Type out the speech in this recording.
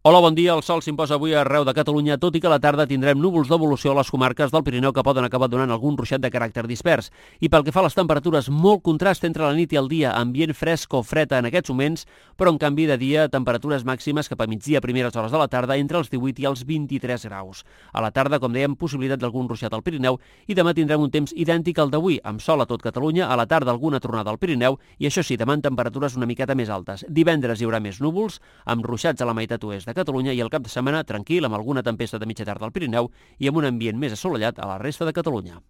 Hola, bon dia. El sol s'imposa avui arreu de Catalunya, tot i que a la tarda tindrem núvols d'evolució a les comarques del Pirineu que poden acabar donant algun ruixat de caràcter dispers. I pel que fa a les temperatures, molt contrast entre la nit i el dia, ambient fresc o fred en aquests moments, però en canvi de dia temperatures màximes cap a migdia a primeres hores de la tarda entre els 18 i els 23 graus. A la tarda, com dèiem, possibilitat d'algun ruixat al Pirineu i demà tindrem un temps idèntic al d'avui, amb sol a tot Catalunya, a la tarda alguna tronada al Pirineu i això sí, demà en temperatures una miqueta més altes. Divendres hi haurà més núvols, amb ruixats a la meitat oest de Catalunya i el cap de setmana tranquil amb alguna tempesta de mitja tarda al Pirineu i amb un ambient més assolellat a la resta de Catalunya.